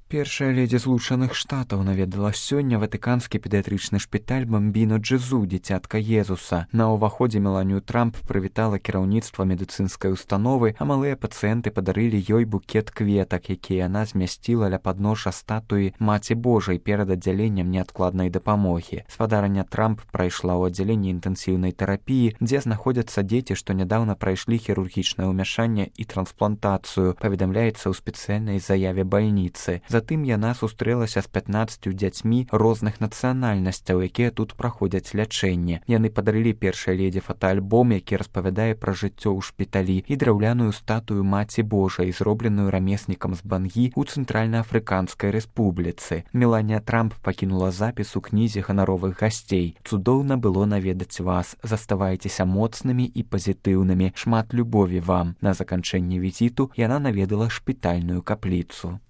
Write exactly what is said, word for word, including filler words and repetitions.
Першая ледзі злучаных штатаў наведала сёння ватыканскі педыятрычны шпіталь Бамбіно Джезу, дзіцятка Езуса. На ўваходзе Меланію Трамп прывітала кіраўніцтва медыцынскай установы, а малыя пацыенты падарылі ёй букет кветак, які яна змясціла ля падножжа статуі Маці Божай перад аддзяленнем неадкладнай дапамогі. Спадарня Трамп прайшла ў аддзяленні інтэнсіўнай тэрапіі, дзе знаходзяцца дзеці, што нядаўна прайшлі хірургічнае ўмяшанне і трансплантацыю, паведамляецца ў спецыяльнай заяве бальніцы. Затым яна сустрэлася з пятнаццаццю дзяцьмі розных нацыянальнасцяў, якія тут праходзяць лячэнне. Яны падарылі першай ледзі фотаальбом, які распавядае пра жыццё ў шпіталі, і драўляную статую Маці Божай, зробленую рамеснікам з Бангі ў Цэнтральна-Афрыканскай рэспубліцы. Меланія Трамп пакінула запіс у кнізе ганаровых гасцей. Цудоўна было наведаць вас. Заставайцеся моцнымі і пазітыўнымі. Шмат любові вам. На заканчэнне візіту яна наведала шпітальную капліцу.